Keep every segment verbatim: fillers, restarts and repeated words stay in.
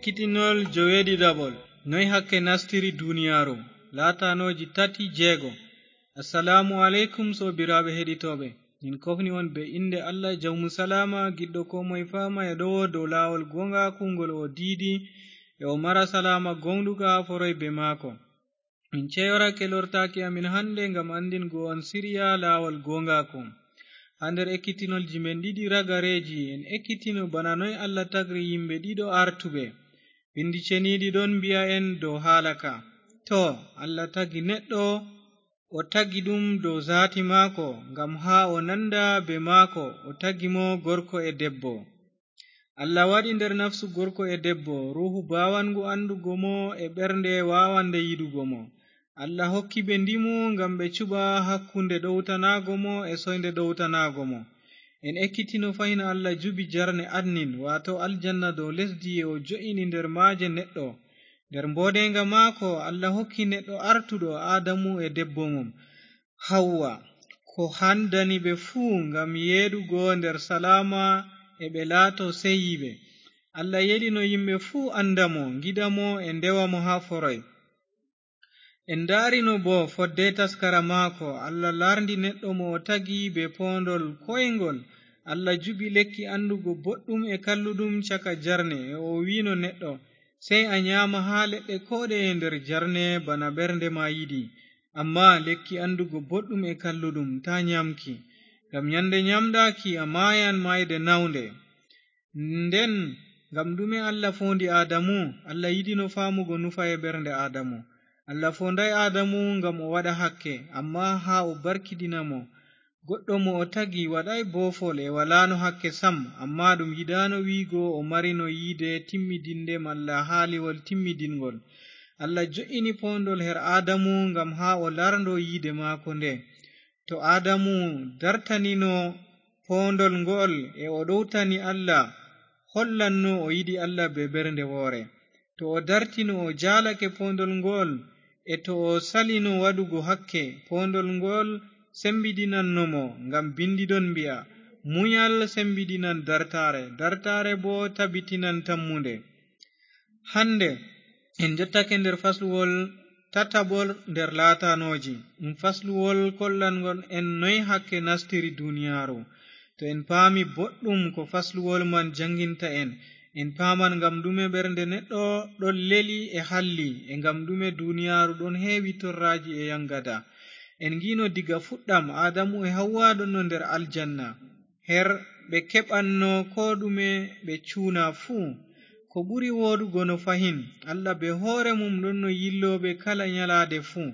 Ekkitinol joweeɗiɗaɓol, noy hakke nastiri duniyaaru, laatanooji tati jeego. Assalaamu aleykum, soobiraaɓe heɗitooɓe. Min kofni on be innde Allah, jawmu salaama, giɗɗo koo moye faama e ɗowo dow laawol gooŋgaaku ngol o diidi, e o mara salaama gooŋɗuka haa foroy be maako. Min ceyorake lortaaki amin hande ngam anndingo on siriya laawol gooŋgaaku. Haa nder ekkitinolji men ɗiɗi ragareeji, en ekkitino bana noy Allah tagri yimɓe ɗiɗo artuɓe. Binndi ceniiɗi ɗon mbi'a en dow haala ka. To, Allah tagi neɗɗo, o tagi ɗum dow zaati maako, ngam haa o nanda be maako, o tagi mo gorko e debbo. Allah waɗi nder nafsu gorko e debbo, ruuhu baawangu anndugo mo e ɓernde waawande yiɗugo mo. Allah hokki ɓe ndimu ngam ɓe cuɓa hakkunde ɗowtanaago mo e soynde ɗowtanaago mo. En ekkitino fahin Allah jubi jarne adnin, waato aljanna dow lesdi, e o jo'ini nder maaje neɗɗo. Nder mbooɗeeŋga maako, Allah hokki neɗɗo artuɗo, Aadamu e debbo mum, Hawwa, ko handani ɓe fuu ngam yeeɗugo nder salaama e ɓe laato sey yiɓe. Allah yeɗino yimɓe fuu anda mo, ngiɗa mo e ndewa mo haa foroy. En ndaarino boo fodde taskara maako, Allah laarndi neɗɗo mo o tagi bee poondol koyŋgol. Allah jubi lekki anndugo boɗɗum e kalluɗum caka jarne, e o wi'no neɗɗo, sey a nyaama haa leɗɗe kooɗeye nder jarne bana ɓernde ma yiɗi. Ammaa lekki anndugo boɗɗum e kalluɗum, taa nyaamki, ngam nyande nyaamɗaaki a maayan maayde naawnde. Nden, ngam ɗume Allah foondi Aadamu? Allah yiɗino faamugo nufa e ɓernde Aadamu. Allah foondaay Aadamu ngam o waɗa hakke, ammaa haa o barkiɗina mo. Goɗɗo mo o tagi waɗaay boofol e walaano hakke sam, ammaa ɗum yiɗaano wi'go o marino yiide timmidinde malla haaliwol timmidiŋgol. Allah jo'ini poondol her Aadamu ngam haa o laarndo yiide maako nde. To Aadamu dartanino poondol ngo'ol e o ɗowtani Allah, hollanno o yiɗi Allah bee ɓernde woore. To o dartino o jaalake poondol ngo'ol, e to o salino waɗugo hakke, poondol ngo'ol sembidinanno mo, ngam binndi ɗon mbi'a, munyal sembidinan dartaare, dartaare boo tabitinan tammunde. Hande, en jottake nder fasluwol tataɓol nder laatanooji. Ɗum fasluwol kollanŋgol en noy hakke nastiri duniyaaru. To en paami boɗɗum ko fasluwol man jaŋginta en, en paaman ngam ɗume ɓernde neɗɗo ɗon leli e halli, e ngam ɗume duniyaaru ɗon heewi torraaji e yaŋgada. En ngi'no diga fuɗɗam, Aadamu e Hawwa ɗonno nder aljanna, her ɓe keɓanno koo ɗume ɓe cuuna fuu. Ko ɓuri wooɗugo no fahin, Allah bee hoore mum ɗonno yillo ɓe kala nyalaade fuu,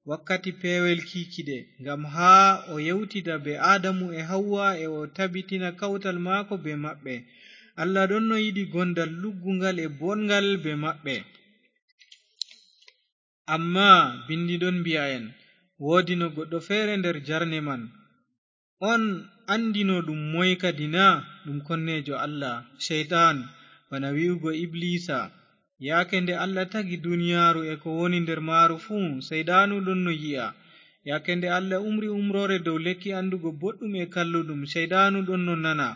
wakkati peewel kiikiɗe, ngam haa o yewtida bee Aadamu e Hawwa e o tabitina kawtal maako bee maɓɓe. Allah ɗonno yiɗi gondal lugguŋgal e booɗŋgal bee maɓɓe. Ammaa binndi ɗon mbi'a en, woodino goɗɗo feere nder jarne man. On anndino ɗum moy kadi na? Ɗum konneejo Allah, Ceyɗan, bana wi'ugo Ibliisa. Yaake nde Allah tagi duniyaaru e ko woni nder maaru fuu, Seyɗanu ɗonno yi'a. Yaake nde Allah umri umroore dow lekki anndugo boɗɗum e kalluɗum, Seyɗanu ɗonno nana.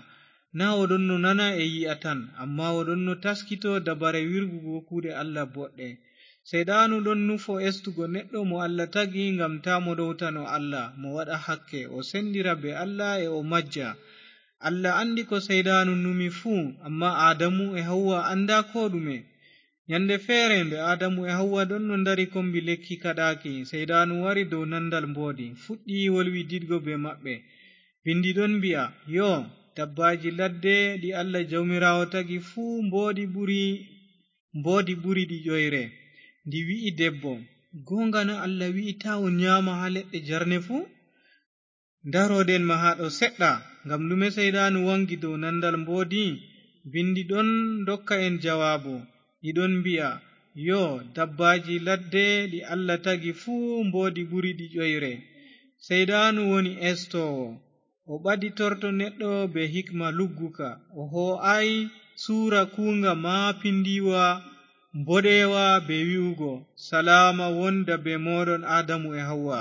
Naa o ɗonno nana e yi'a tan, ammaa o ɗonno taskito dabare wirgugo kuuɗe Allah boɗɗe. Seyɗanu ɗon nufo estugo neɗɗo mo Allah tagi ngam taa mo ɗowtano Allah, mo waɗa hakke, o sendira bee Allah e o majja. Allah anndi ko Seyɗanu numi fuu, ammaa Aadamu e Hawwa anndaa koo ɗume. Nyande feere, nde Aadamu e Hawwa ɗonno ndari kombi lekki kaɗaaki, Seyɗanu wari dow nandal mboodi, fuɗɗi wolwididgo bee maɓɓe. Binndi ɗon mbi'a, yo, dabbaaji ladde ɗi Allah Jawmiraawo tagi fuu mboodi ɓuri, mboodi ɓuri ɗi ƴoyre. Ndi wi'i debbo, gooŋga na Allah wi'i taa on nyaama haa leɗɗe jarne fuu? Ndaroɗen ma haa ɗo seɗɗa, ngam ɗume Seyɗanu waŋgi dow nandal mboodi? Binndi ɗon ndokka en jawaabu. Ɗi ɗon mbi'a, yo, dabbaaji ladde ɗi Allah tagi fuu mboodi ɓuri ɗi ƴoyre. Seyɗanu woni estoowo. O ɓaditorto neɗɗo bee hikma lugguka. O hoo'aay suura kuuŋga maapindiwa, mboɗeewa bee wi'ugo, salaama wonda bee mooɗon Aadamu e Hawwa.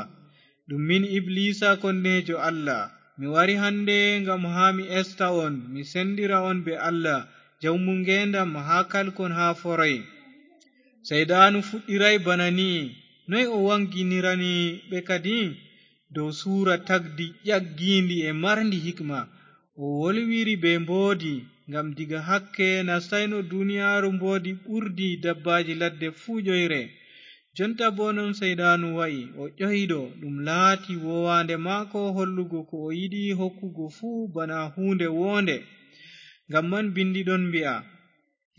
Ɗum min Ibliisa konneejo Allah. Mi wari hande ngam haa mi esta on, mi sendira on bee Allah, jawmu ngeendam haa kalkon haa foroy. Seyɗaanu fuɗɗiray bana ni'i. Noy o waŋginirani ɓe kadi? Dow suura tagdi ƴaggiindi e marndi hikma. O wolwiri bee mboodi, ngam diga hakke nastayno duniyaaru mboodi ɓurdi dabbaaji ladde fuu ƴoyre. Jonta boo non Seyɗaanu wa'i, o ƴoyɗo, ɗum laati woowaande maako hollugo ko o yiɗi hokkugo fuu bana huunde woonde. Ngam man bindi ɗon mbi'a,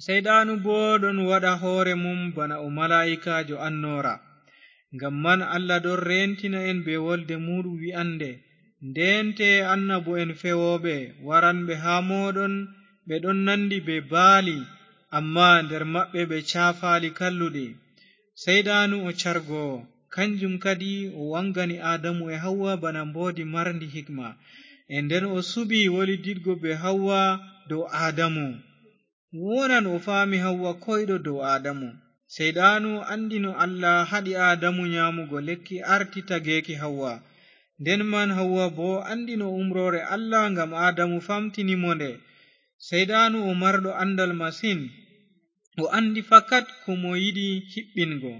Seyɗaanu boo ɗon waɗa hoore mum bana o malaa'ikaajo annoora. Ngam man Allah ɗon reentina en bee wolde muuɗum wi'annde, ndeente annabo'en fewooɓe waranɓe haa mooɗon, ɓe ɗon nanndi bee baali, ammaa nder maɓɓe ɓe caafaali kalluɗi. Seyɗaanu o cargoowo, kanjum kadi o waŋgani Aadamu e Hawwa bana mboodi marndi hikma. E nden o suɓi wolididgo bee Hawwa dow Aadamu. Wonan o faami Hawwa koyɗo dow Aadamu. Seyɗaanu anndino Allah haɗi Aadamu nyaamugo lekki arti tageeki Hawwa. Nden man Hawwa boo anndino umroore Allah ngam Aadamu famtini mo nde. Seyɗaanu o marɗo anndal masin. O anndi fakat ko mo yiɗi hiɓɓingo.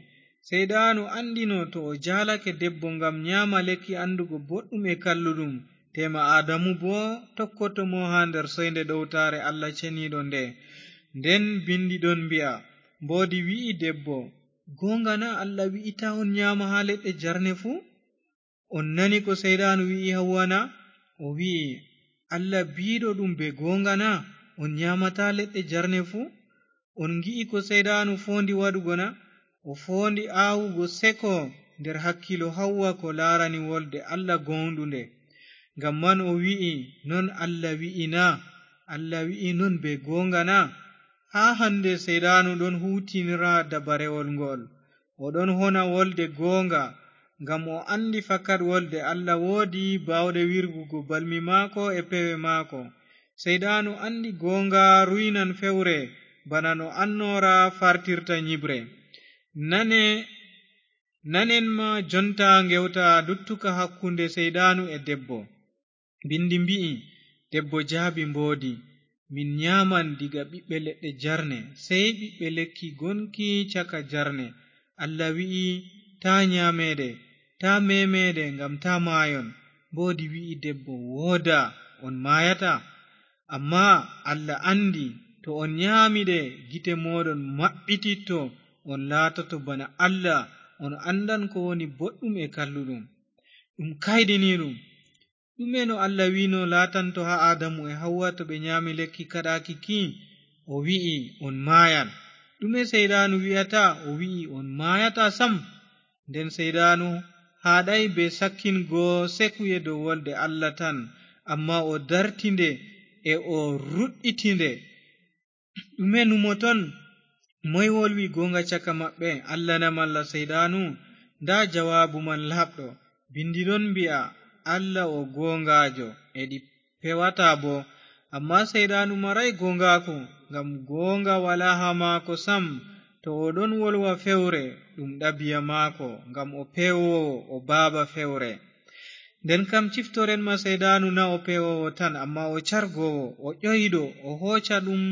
Seyɗaanu anndino to o jaalake debbo ngam nyaama lekki anndugo boɗɗum e kalluɗum, teema Aadamu boo tokkoto mo haa nder soynde ɗowtaare Allah ceniiɗo nde. Nden bindi ɗon mbi'a, mboodi wi'i debbo, gooŋga na Allah wi'i taa on nyaama haa leɗɗe jarne fuu? On nani ko Seyɗaanu wi'i Hawwa na? O wi'i, Allah biiɗo ɗum bee gooŋga na, on nyaamataa leɗɗe jarne fuu? On ngi'i ko Seyɗaanu foondi waɗugo na? O foondi aawugo seko nder hakkiilo Hawwa ko laarani wolde Allah gooŋɗunde. Ngam man o wi'i, non Allah wi'i na? Allah wi'i non bee gooŋga na? Haa hannde Seyɗaanu ɗon huuwtinira dabarewol ngo'ol. O ɗon hona wolde gooŋga, ngam o anndi fakat wolde Allah woodi baawɗe wirgugo balmi maako e pewe maako. Seyɗaanu anndi gooŋga ruynan fewre, bana no annoora fartirta nyiɓre. Nane, nanen ma jonta ngewta luttuka hakkunde Seyɗaanu e debbo. Bindi mbi'i, debbo jaabi mboodi, min nyaaman diga ɓiɓɓe leɗɗe jarne, sey ɓiɓɓe lekki gonki caka jarne. Allah wi'i, taa nyaameede, taa meemeede, ngam taa maayon. Mboodi wi'i debbo, woodaa, on maayataa. Ammaa Allah anndi, to on nyaami ɗe, gite mooɗon maɓɓititto, on laatoto bana Allah, on anndan ko woni boɗɗum e kalluɗum. Ɗum kayɗiniiɗum. Ɗume no Allah wi'no laatanto haa Aadamu e Hawwa to ɓe nyaami lekki kaɗaaki ki? O wi'i, on maayan. Ɗume Seyɗaanu wi'ata? O wi'i, on maayataa sam. Nden Seyɗaanu haaɗaay bee sakkingo sekuye dow wolde Allah tan, ammaa o darti nde e o ruɗɗiti nde. Ɗume numoton? Moy wolwi gooŋga caka maɓɓe, Allah na malla Seyɗaanu? Ndaa jawaabu man laaɓɗo. Bindi ɗon mbi'a, Allah o gooŋgaajo, e ɗi pewataa boo. Ammaa Seyɗaanu maraay gooŋgaaku, ngam gooŋga walaa haa maako sam. To o ɗon wolwa fewre, ɗum ɗabiya maako, ngam o pewoowo, o baaba fewre. Nden kam ciftoren ma Seyɗaanu na o pewoowo tan, ammaa o cargoowo, o ƴoyɗo, o hooca ɗum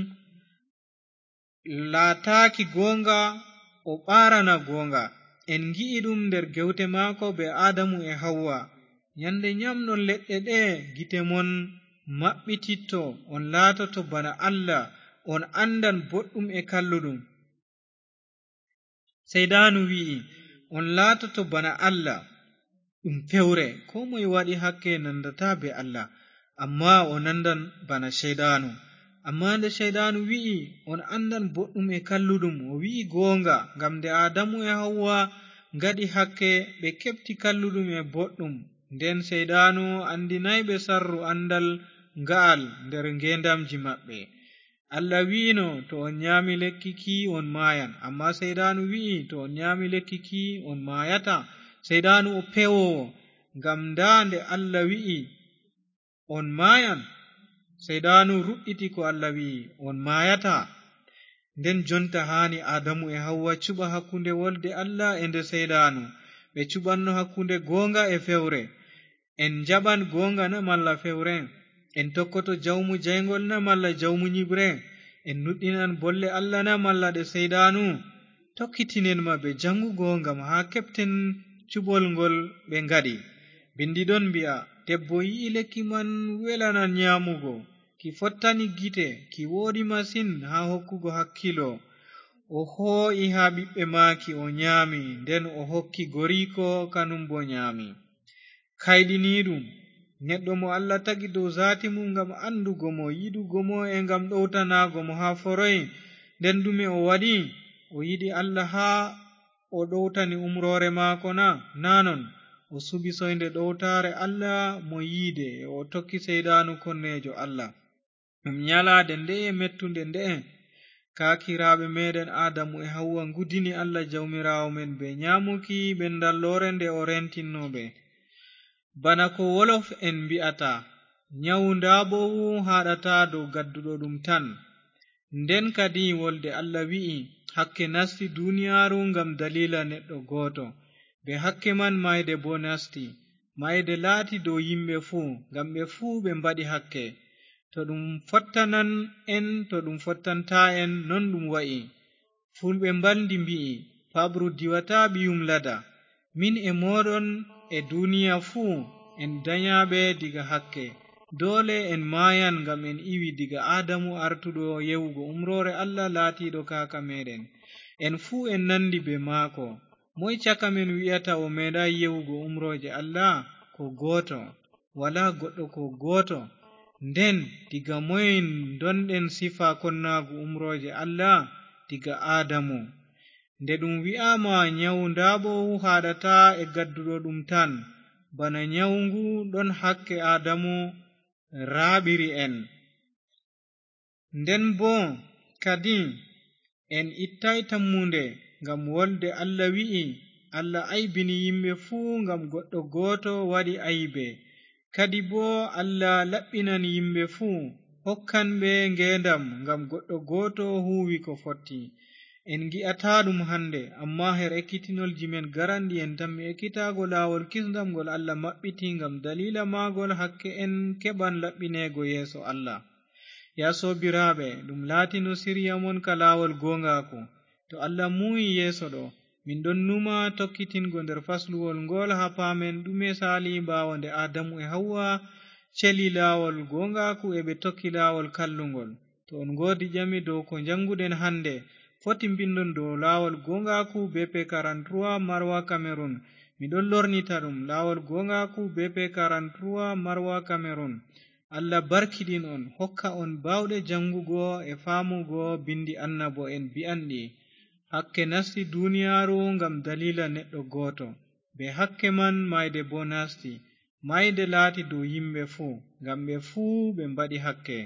laataaki gooŋga, o ɓaarana gooŋga. En ngi'i ɗum nder gewte maako bee Aadamu e Hawwa. Nyande nyamɗon leɗɗe ɗe, gite mon maɓɓititto, on laatoto bana Allah, on anndan boɗɗum e kalluɗum. Seyɗaanu wi'i, on laatoto bana Allah. Ɗum fewre, koo moy waɗi hakke nandataa bee Allah, ammaa o nandan bana Seyɗaanu. Ammaa nde Seyɗaanu wi'i, on anndan boɗɗum e kalluɗum, o wi'i gooŋga, ngam nde Aadamu e Hawwa ngaɗi hakke, ɓe keɓti kalluɗum e boɗɗum. Nden Seyɗaanu anndinaay ɓe sarru anndal nga'al nder ngeendamji maɓɓe. Allah wi'no, to on nyaami lekki ki, on maayan. Ammaa Seyɗaanu wi'i, to on nyaami lekki ki, on maayataa. Seyɗaanu o pewoowo, ngam ndaa nde Allah wi'i, on maayan. Seyɗaanu ruɗɗiti ko Allah wi'i, on maayataa. Nden jonta haani Aadamu e Hawwa cuɓa hakkunde wolde Allah e nde Seyɗaanu. Ɓe cuɓanno hakkunde gooŋga e fewre. En njaɓan gooŋga na malla fewre? En tokkoto jawmu jayŋgol na malla jawmu nyiɓre? En nuɗɗinan bolle Allah na malla ɗe Seyɗaanu? Tokkitinen ma bee jaŋgugo ngam haa keɓten cuɓol ngol ɓe ngaɗi. Binndi ɗon mbi'a, debbo yi'i lekki man welanan nyaamugo. Ki fottani gite, ki wooɗi masin haa hokkugo hakkiilo. O hoo'i haa ɓiɓɓe maaki, o nyaami, nden o hokki goriiko, kanum boo nyaami. Kayɗiniiɗum, neɗɗo mo Allah tagi dow zaati mum ngam anndugo mo, yiɗugo mo e ngam ɗowtanaago mo haa foroy, nden ɗume o waɗi? O yiɗi Allah haa o ɗowtani umroore maako na? Naa non, o suɓi soynde ɗowtaare Allah mo yiide, o tokki Seyɗaanu konneejo Allah. Ɗum nyalaade nde'e mettunde nde'e, kaakiraaɓe meeɗen Aadamu e Hawwa ngudini Allah Jawmiraawo men bee nyaamuki ɓendalloore nde o reentinno ɓe. Bana ko wolof en mbi'ata, nyawu ndaaboowu haaɗataa dow gadduɗo ɗum tan. Nden kadi wolde Allah wi'i, hakke nasti duniyaaru ngam daliila neɗɗo gooto. Bee hakke man maayde boo nasti. Maayde laati dow yimɓe fuu, ngam ɓe fuu ɓe mbaɗi hakke. To ɗum fottanan en, to ɗum fottantaa en, non ɗum wa'i. Fulɓe mbalndi mbi'i, paɓru diwataa ɓiyum lada. Min e mooɗon e duniya fuu en danyaaɓe diga hakke. Doole en maayan ngam en iwi diga Aadamu artuɗo yewugo umroore Allah laatiiɗo kaaka meeɗen. En fuu en nandi bee maako. Moy caka men wi'ata o meeɗaay yewugo umrooje Allah? Ko gooto. Walaa goɗɗo ko gooto. Nden, diga moy ndonɗen sifa konnaagu umrooje Allah? Diga Aadamu. Nde ɗum wi'aama nyawu ndaaboowu haaɗataa e gadduɗo ɗum tan, bana nyawu ngu ɗon hakke Aadamu raaɓiri en. Nden boo kadi en ittaay tammunde, ngam wolde Allah wi'i, Allah aybini yimɓe fuu ngam goɗɗo gooto waɗi aybe. Kadi boo Allah laɓɓinan yimɓe fuu, hokkan ɓe ngeendam ngam goɗɗo gooto huuwi ko fotti. En ngi'ataa ɗum hannde, ammaa her ekkitinolji men garanɗi en tammi ekkitaago laawol kisndam ngol Allah maɓɓiti, ngam daliila maagol hakke en keɓan laɓɓineego yeeso Allah. Yaa soobiraaɓe, ɗum laatino sirya mon ka laawol gooŋgaaku. To Allah muuyi yeeso ɗo, min ɗon numa tokkitingo nder fasluwol ngol haa paamen ɗume saali ɓaawo nde Aadamu e Hawwa celi laawol gooŋgaaku e ɓe tokki laawol kallungol. To on ngoodi ƴami dow ko njannguɗen hannde, foti mbinndon dow laawol gooŋgaaku B P quarante-trois Marwa Cameroun. Mi ɗon lornita ɗum, laawol gooŋgaaku B P quarante-trois Marwa Cameroun. Allah barkiɗin on, hokka on baawɗe janngugo e faamugo binndi annabo'en bi'anɗi. Hakke nasti duniyaaru ngam daliila neɗɗo gooto. Bee hakke man maayde boo nasti. Maayde laati dow yimɓe fuu, ngam ɓe fuu ɓe mbaɗi hakke.